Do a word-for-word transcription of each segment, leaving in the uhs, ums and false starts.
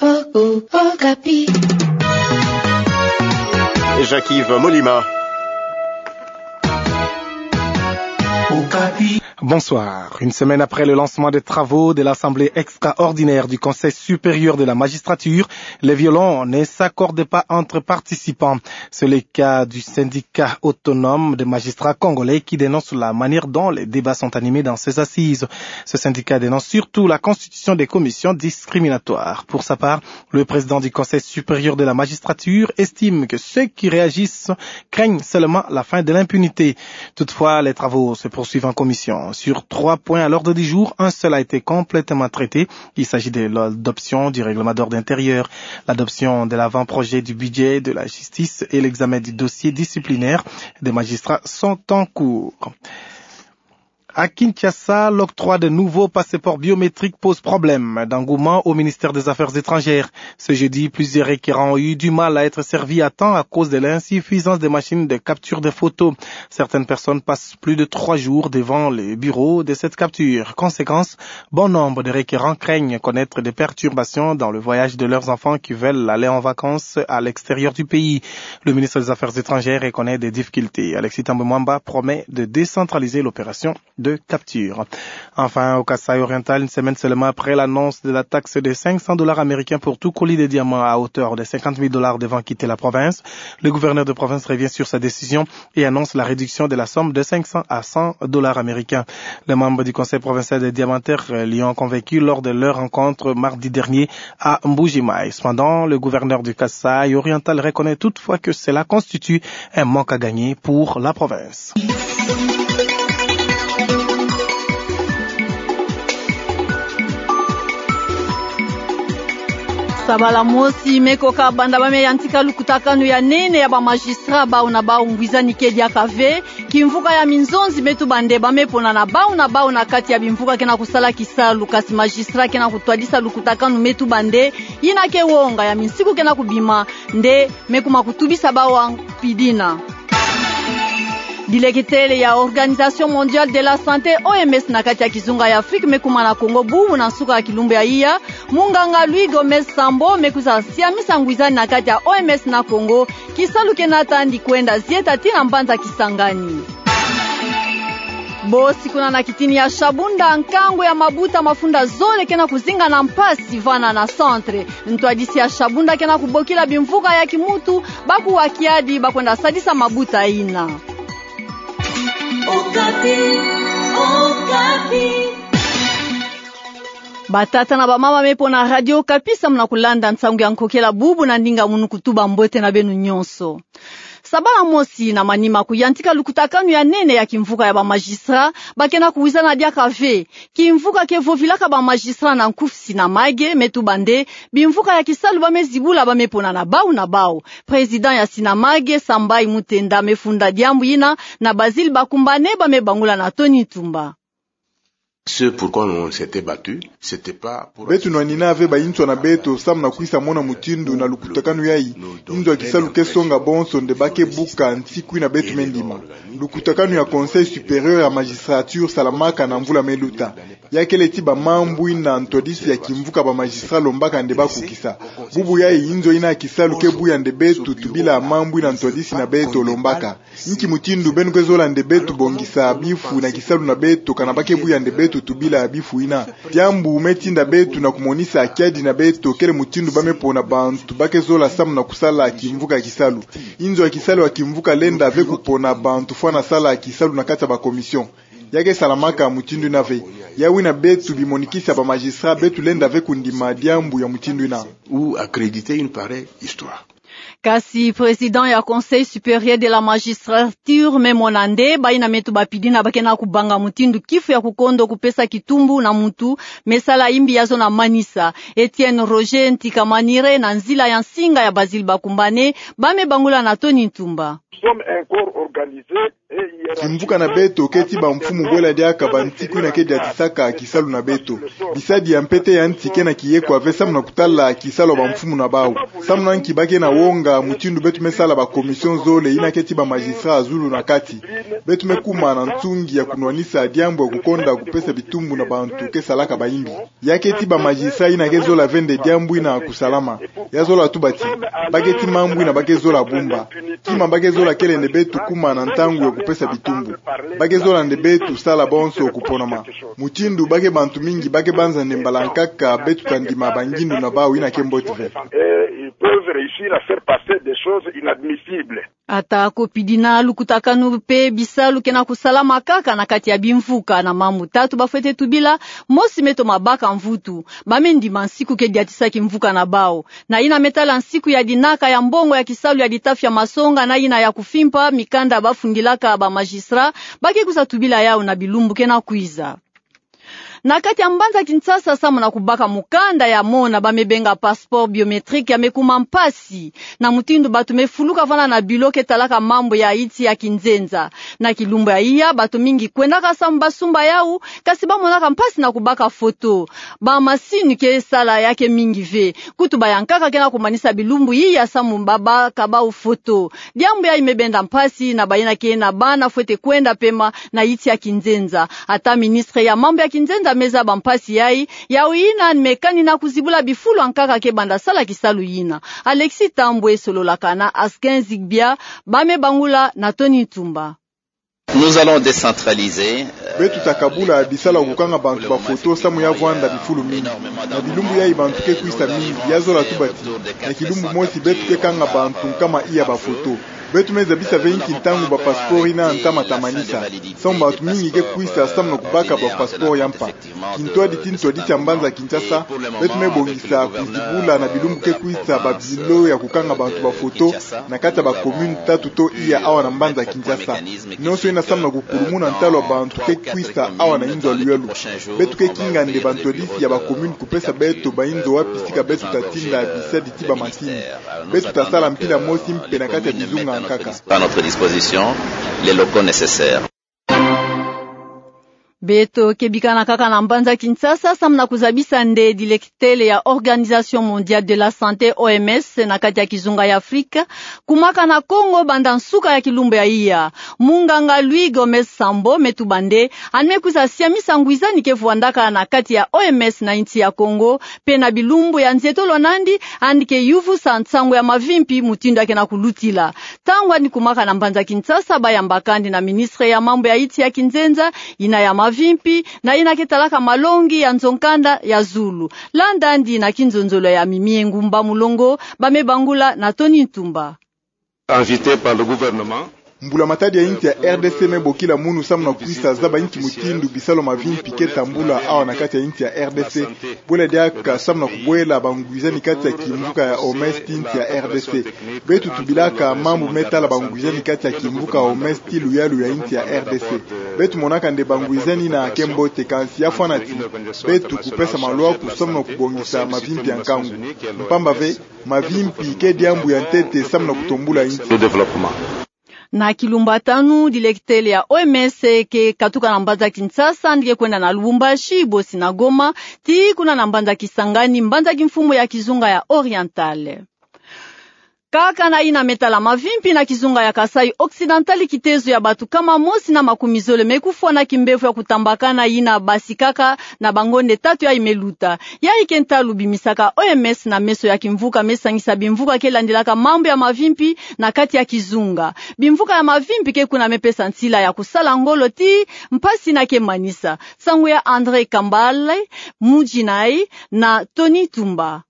Okapi. Jacques-Yves Molima. Okapi. Bonsoir. Une semaine après le lancement des travaux de l'Assemblée extraordinaire du Conseil supérieur de la magistrature, les violons ne s'accordent pas entre participants. C'est le cas du syndicat autonome des magistrats congolais qui dénonce la manière dont les débats sont animés dans ces assises. Ce syndicat dénonce surtout la constitution des commissions discriminatoires. Pour sa part, le président du Conseil supérieur de la magistrature estime que ceux qui réagissent craignent seulement la fin de l'impunité. Toutefois, les travaux se poursuivent en commission. Sur trois points à l'ordre du jour, un seul a été complètement traité. Il s'agit de l'adoption du règlement d'ordre intérieur, l'adoption de l'avant-projet du budget de la justice et l'examen du dossier disciplinaire des magistrats sont en cours. À Kinshasa, l'octroi de nouveaux passeports biométriques pose problème d'engouement au ministère des Affaires étrangères. Ce jeudi, plusieurs requérants ont eu du mal à être servis à temps à cause de l'insuffisance des machines de capture de photos. Certaines personnes passent plus de trois jours devant les bureaux de cette capture. Conséquence, bon nombre de requérants craignent connaître des perturbations dans le voyage de leurs enfants qui veulent aller en vacances à l'extérieur du pays. Le ministre des Affaires étrangères reconnaît des difficultés. Alexis Thambwe Mwamba promet de décentraliser l'opération de capture. Enfin, au Kasaï oriental, une semaine seulement après l'annonce de la taxe de cinq cents dollars américains pour tout colis de diamants à hauteur de cinquante mille dollars devant quitter la province, le gouverneur de province revient sur sa décision et annonce la réduction de la somme de cinq cents à cent dollars américains. Les membres du Conseil provincial des diamantaires, euh, l'y ont convaincu lors de leur rencontre mardi dernier à Mbuji-Mayi. Cependant, le gouverneur du Kasaï oriental reconnaît toutefois que cela constitue un manque à gagner pour la province. Sabala mosi me ko kabanda ba me yantika lukutakanu ya nene ya ba magistrat bau na bau ngwizani ke diaka ve. Kimvuka ya minzonzi me tuba nde ba me pona na bau na bau na kati ya bimvuka ke na kusala kisalu, kasi magistrat ke na kutwadisa lukutakanu me tuba nde yina ke wonga ya minsiku ke na kubima nde me kuma kutubisa bau a mpidina. Dileketele ya Organisation Mondiale de la Santé, O M S, na kati ya kizunga ya Afrique me kuma na Congo bubu na nsuka ya kilumbu ya iya. Munganga Luis Gomez Sambo me kwiza siamisa ngwizani na kati ya O M S na Congo, kisalu ke na tandi kwenda zieta tii na mbanza Kisangani. Bosi kuna na kitini ya Shabunda, nkangu ya mabuta mafunda zole ke na kuzinga na mpasi vana na centre. Ntwadisi ya Shabunda ke na kubokila bimvuka ya kimuntu ba kuwa kiadi ba kwenda sadisa mabuta yina. Okapi, Okapi. Batata na bamama me pona Radio Okapi, samu na kulanda nsangu ya nkokela bubu na ndinga munu kutuba mbote na beno nyonso. Sabala mosi na manima kuyantika lukutakanu ya nene ya kimvuka ya ba magistrat, ba ke na kuwizana diaka ve. Kimvuka ke vovilaka ba magistrat na nkufi Sinamage me tuba nde bimvuka ya kisalu ba me zibula ba me pona na bau na bau. Président ya Sinamage, Sambai Mutenda, me funda diambu yina na Basile Bakumbane ba me bangula na Tony Ntumba. Ce pourquoi on s'était battu, c'était pas pour... Beto nwanina ve bayinswa na beto samu na kwisa mona mutindu na lukutakanu yayi, inzo ya kisalu ke songa bonso nde ba ke buka nsiku yina beto me ndima. Lukutakanu ya Conseil supérieur ya magistrature salamaka na mvula me luta. Ya kele ti ba mambu yina ntwadisi ya kimvuka ba magistrat lombaka nde ba kukisa. Bubu yayi inzo yina ya kisalu ke buya nde beto tubila mambu yina ntwadisi na beto lombaka. Nki mutindu beno ke zola nde beto bongisa bifu na kisalu na beto kana ba ke buya nde beto tubila bifu yina? Diambu me tinda beto na kumonisa kiadi na beto kele mutindu ba me pona bantu ba ke zola samu na kusala kimvuka ya kisalu. Inzo ya kisalu ya kimvuka lenda ve kupona bantu fwana sala kisalu na kati ya ba commission. Ya ke salamaka mutindu yina ve. Yawu yina beto bimonikisa ba magistrat beto lenda ve kundima diambu ya mutindu yina. Ou accréditer une pareille histoire. Kasi président ya Conseil supérieur de la magistrature me mona nde bayina me tuba mpidina ba ke na kubanga mutindu kifu ya kukondo kupesa kitumbu na muntu me sala yimbi ya zo na manisa. Etienne Roger Ntikamanire na nzila ya nsinga ya Basile Bakumbane ba me bangula na Tony Ntumba. Sommes un corps organisé et hiérarchisé. Kimvuka na beto ke ti bamfumu bwela diaka bantiku yina ke diatisaka kisalu na beto. Bisadi ya mpete ya nsi kena kiyekwa ve samu na kutala kisalu ya bamfumu na bau. Samu na nki ba ke na wonga mutindu beto me sala ba commission zole yina ke ti ba magistrat ya zulu na kati. Beto me kuma na nsungi ya kunwanisa diambu ya kukonda kupesa bitumbu na bantu ke salaka bayimbi. Ya ke ti ba magistrat yina ke zola ve nde diambu yina kusalama. Ya zola tuba ti, ba ke ti mambu yina ba ke zola bumba. Kima ba ke zola kele nde beto kuma na ntangu ya kupesa bitumbu. Ba ke zola nde beto sala bonso kuponama. Mutindu ba ke bantu mingi ba ke banza nde mbala nkaka beto ta ndima bangindu na bau yina ke mbote ve. Et ils peuvent réussir à faire passer des choses inadmissibles. Ata ko pidi na lukutakanu pe bisalu kena kusalama kaka na kati ya bimvuka na mambu tatu ba fwete tubila, mosi me toma baka mvutu, ba me ndima nsiku ke diatisa kimvuka na bau. Na yina me tala nsiku ya dinaka ya mbongo ya kisalu ya ditafi ya masonga na yina ya kufimpa mikanda ba fungilaka ba magistrat, ba ke kwiza tubila yau na bilumbu kena kwiza. Na kati ya mbanza Kinshasa samu na kubaka mukanda ya mona ba me benga passeport biométrique ya me kuma mpasi. Na mutindu bantu me fuluka vanda na bilo ke talaka mambu ya insi ya kinzenza. Na kilumbu ya iya, bantu mingi kwendaka samu ba sumba yau, kasi ba monaka mpasi na kubaka foto. Ba masini ke sala ya ke mingi ve. Kutu ba ya nkaka kena kumanisa bilumbu iya samu ba baka bau foto. Diambu yayi me benda mpasi na bayina ke na bana fwete kwenda pema na insi ya kinzenza. Ata ministre ya mambu ya kinzenza me zaba mpasi yayi, yau yina ni me kani na kuzibula bifulu ya nkaka ke banda sala kisalu yina. Alexis Tambwe sololaka na Askin Zigbia, ba me bangula na Tony Ntumba. Nous allons décentraliser, euh, Beto ta kabula bisalu ya kukanga bantu ba foto samu ya vwanda bifulu mingi. Na bilumbu yayi bantu ke kwisa mingi, ya zola tuba ti, na kilumbu mosi beto ke kanga bantu nkama iya ba foto. Beto me zabisa ve nki ntangu ba passeport yina ntama ta manisa. Samu bantu mingi ke kwisa samu na kubaka ba passeport ya mpa. Kintwadi ti ntwadi tia mbanza Kinshasa, beto me bongisa kuzibula na bilumbu ke kwisa ba bilo ya kukanga bantu ba foto na kati ya ba commune tatu to iya awa na mbanza Kinshasa. Nionso yina samu na kukulumuna ntalu ya bantu ke kwisa awa na inzo ya luyalu. Beto ke kinga nde bantwadisi ya ba commune kupesa beto ba inzo wapi sika beto ta tinda bisadi ti ba masini. Beto ta sala mpila mosi mpe na kati ya bizunga nkaka. À notre disposition les locaux nécessaires. Beto ke bikana kaka na mbanza Kinshasa, samu na kuzabisa nde directeur ya Organisation Mondiale de la Santé, O M S, na kati ya kizunga ya Afrika, kumaka na Kongo banda nsuka ya kilumbu ya iya. Munganga Luis Gomez Sambo me tuba nde, yandi me kwiza siamisa ngwizani ke vwandaka na kati ya O M S na insi ya Kongo, mpe na bilumbu ya nzietolo nandi, yandi ke yuvusa nsangu ya mavimpi mutindu ya kena kulutila. Ntangu yandi kumaka na mbanza Kinshasa, ba yambaka yandi na ministre ya mambu ya insi ya kinzenza, yina ya mavimpi, na yina ke talaka malongi ya nzo-nkanda ya zulu. Landandi na kinzonzolo ya Mimie Ngumba Mulongo, ba me bangula na Tony Ntumba. Invité par le gouvernement. Mbula-matadi ya insi ya R D C me bokila munu samu na kwisa zaba nki mutindu bisalu ya mavimpi ke tambula awa na kati ya insi ya R D C. Bwela diaka samu na kubwela bangwizani kati ya kimvuka ya O M S ti insi ya R D C. Beto tubilaka mambu me tala bangwizani kati ya kimvuka ya O M S ti luyalu ya insi ya R D C. Beto monaka nde bangwizani yina ke mbote, kansi ya fwana ti beto kupesa malwaku samu na kubongisa mavimpi ya nkangu. Mpamba ve, mavimpi ke diambu ya ntete samu na kutombula insi. Le développement. Na kilumbu ya tanu, directeur ya O M S ke katuka na mbanza Kinshasa, yandi ke kwenda na Lubumbashi, bosi na Goma, tii kuna na mbanza Kisangani, mbanza kimfumu ya kizunga ya Oriental. Kaka na yina me tala mavimpi na kizunga ya Kasaï Occidental, kitezo ya bantu nkama mosi na makumi zole me kufwa na kimbevo ya kutambakana yina basikaka na bangonde tatu yayi me luta. Yayi ke ntalu bimisaka O M S na meso ya kimvuka me sangisa bimvuka ke landilaka mambu ya mavimpi na kati ya kizunga. Bimvuka ya mavimpi ke kuna me pesa nsila ya kusala ngolo tii mpasi yina ke manisa. Nsangu ya André Kambale, Mujinai, na Tony Tumba.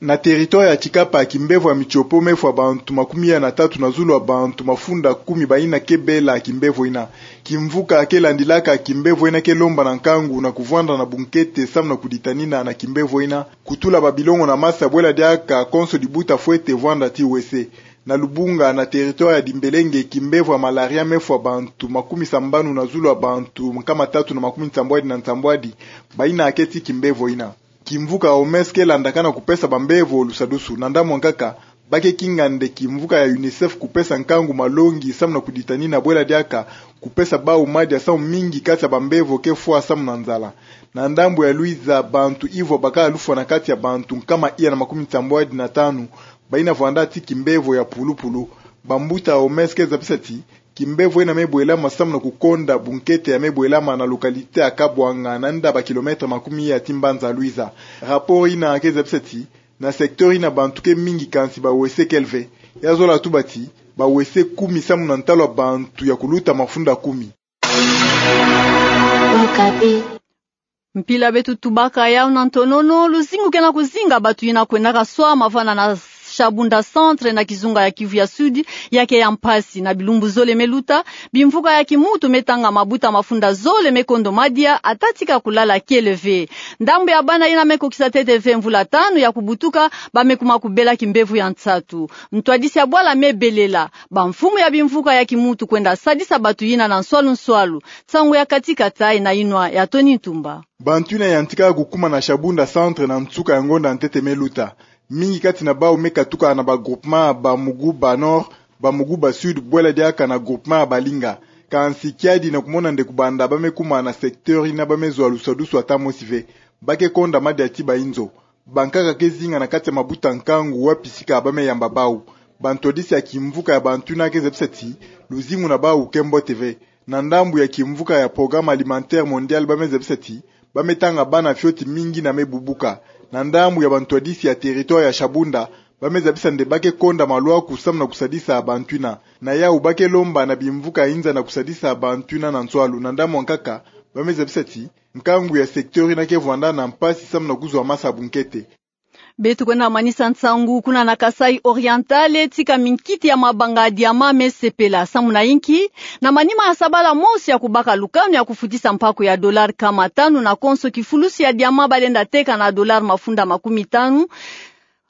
Na territoire ya Tshikapa, kimbevo ya Mitshopo me fwa bantu makumi ya na tatu na zulu ya bantu mafunda kumi bayina ke bela kimbevo yina. Kimvuka ke landilaka kimbevo yina ke lomba na nkangu na kuvwanda na bunkete samu na kuditanina na kimbevo yina, kutula babilongo na masa, bwela diaka konso dibuta fwete vwanda tii wese. Na Lubunga, na territoire ya Dimbelenge, kimbevo ya malaria me fwa bantu makumi sambanu na zulu ya bantu nkama tatu na makumi nsambwadi na nsambwadi bayina ke tii kimbevo yina. Kimvuka ya O M S ke landakana kupesa bambevo lusadusu. Na ndambu ya nkaka, Ba ke kinga nde kimvuka ya UNICEF kupesa nkangu malongi samu na kuditanina bwela diaka kupesa bau madia samu mingi kati ya bambevo ke fwa samu na nzala. Na ndambu ya Luiza, bantu ivwa bakala lufwa na kati ya bantu nkama iya na makumi nsambwadi na tanu bayina vwanda ti kimbevo ya pulupulu. Bambuta OMS ke zabisa ti kimbevo yina me bwelama samu na kukonda bunkete ya me bwelama na localité ya Kabwanga, na nda ba kilomètre makumi iya ti mbanza Luiza. Rapport yina ke zabisa ti na secteur yina bantu ke mingi kansi bawese kele ve. Ya zola tuba ti bawese kumi samu na ntalu ya bantu ya kuluta mafunda kumi. Okapi. Mpila beto tubaka yawu na ntonono. Luzingu ke na kuzinga bantu yina kwendaka swama vana na Shabunda Centre na kizunga ya Kivu ya Sud, ya ke ya mpasi. Na bilumbu zole me luta, bimvuka ya kimuntu me tanga mabuta mafunda zole me kondo madia, ata tika kulala kele ve. Ndambu ya bana yina me kokisa ntete ve mvula tanu ya kubutuka, ba me kuma kubela kimbevo ya nsatu. Ntwadisi ya bwala me belela. Bamfumu ya bimvuka ya kimuntu kwenda sadisa bantu yina na nswalu nswalu. Nsangu ya kati kati yina inwa ya Tony Ntumba. Bantu yina yantika kukuma na Shabunda Centre na nsuka ya ngonda ntete me luta. Mingi kati na bau me katuka na ba groupement ya Bamuguba Nord, Bamuguba Sud, bwela diaka na groupement ya Balinga. Kansi kiadi na kumona nde kubanda ba me kuma na secteur yina ba me zwa lusadusu ata mosi ve. Ba ke konda madia ti bainzo. Bankaka ke zinga na kati ya mabuta nkangu wapi sika ba me yamba bau. Bantwadisi ya kimvuka ya bantu yina ke zabisa ti luzingu na bau ke mbote ve. Na ndambu ya kimvuka ya Programme Alimentaire Mondial, ba me zabisa ti ba me tanga bana fioti mingi yina me bubuka. Na ndambu ya bantwadisi ya territoire ya Shabunda, ba me zabisa nde ba ke konda maluaku samu na kusadisa bantu yina. Na yawu ba ke lomba na bimvuka ya inza na kusadisa bantu yina na nswalu. Na ndambu ya nkaka, ba me zabisa ti nkangu ya secteur yina ke vwanda na mpasi samu na kuzwa masa bunkete. Beto kwenda manisa nsangu kuna na Kasaï Oriental, tika minkiti ya mabanga ya diamant me sepela. Samu na inki? Na manima ya sabala mosi ya kubaka lukanu ya kufutisa mpaku ya dollar nkama tanu na konso, kifulusi ya diamant ba lenda teka na dollar mafunda makumi tanu.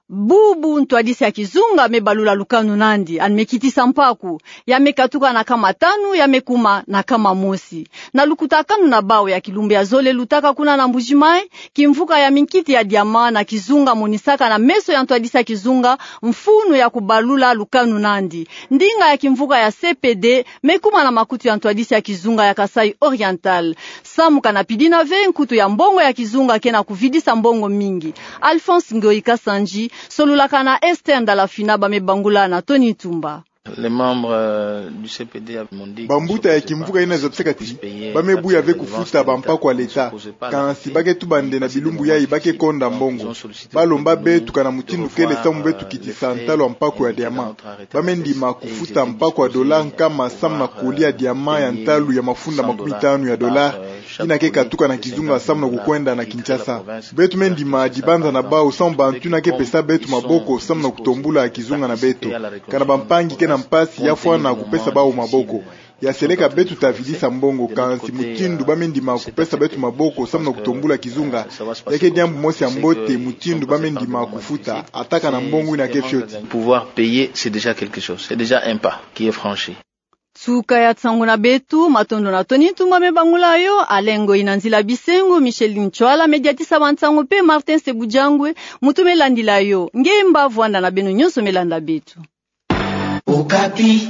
Bubu ntwadisi ya kizunga me balula lukanu nandi, yandi me kitisa mpaku. Ya me katuka na nkama tanu, ya me kuma na nkama mosi. Na lukutakanu na bau ya kilumbu ya zole lutaka kuna na Mbuji-Mayi, kimvuka ya minkiti ya diamant na kizunga monisaka na meso ya ntwadisi ya kizunga mfunu ya kubalula lukanu nandi. Ndinga ya kimvuka ya C P D me kuma na makutu ya ntwadisi ya kizunga ya Kasaï Oriental. Samu kana pidina ve, nkutu ya mbongo ya kizunga ke na kuvidisa mbongo mingi. Alphonse Ngoyi Kasanji, solulaka na Esther Ndalafina, ba me bangula na Tony Ntumba. Les membres, euh, du C P D m'ont dit que bambuta ya kimvuka yina zabisaka ti ba me buya ve kufuta bampaku ya leta, kansi ba ke tuba nde na bilumbu yayi ba ke konda mbongo. Ba lomba beto kana mutindu kele samu beto kitisa ntalu ya mpaku ya diamant. Ba me ndima kufuta mpaku ya dollar nkama samu na koli ya diamant ya ntalu ya mafunda makumi tanu ya dollar, yina ke katuka na kizunga samu na kukwenda na Kinshasa. Beto me ndima dibanza na bau samu bantu yina ke pesa beto maboko samu na kutombula kizunga na beto. Kana bampangi ke na mpasi, ya fwana kupesa bau maboko. Ya seleka beto ta vidisa mbongo, kansi mutindu ba me ndima kupesa beto maboko samu na kutombula kizunga, ya ke diambu mosi ya mbote, mutindu ba me ndima kufuta, ata kana mbongo yina ke fioti. Pouvoir payer, c'est déjà quelque chose. C'est déjà un pas qui est franchi. Nsuka ya nsangu na beto, matondo na Tony Ntumba me bangula yo, Alain Ngoyi na nzila bisengo, Micheline Ntswala me diatisa bansangu mpe Martin Sebujangwe, muntu me landila yo. Nge mba vwanda na beno nyonso me landa beto. Okapi.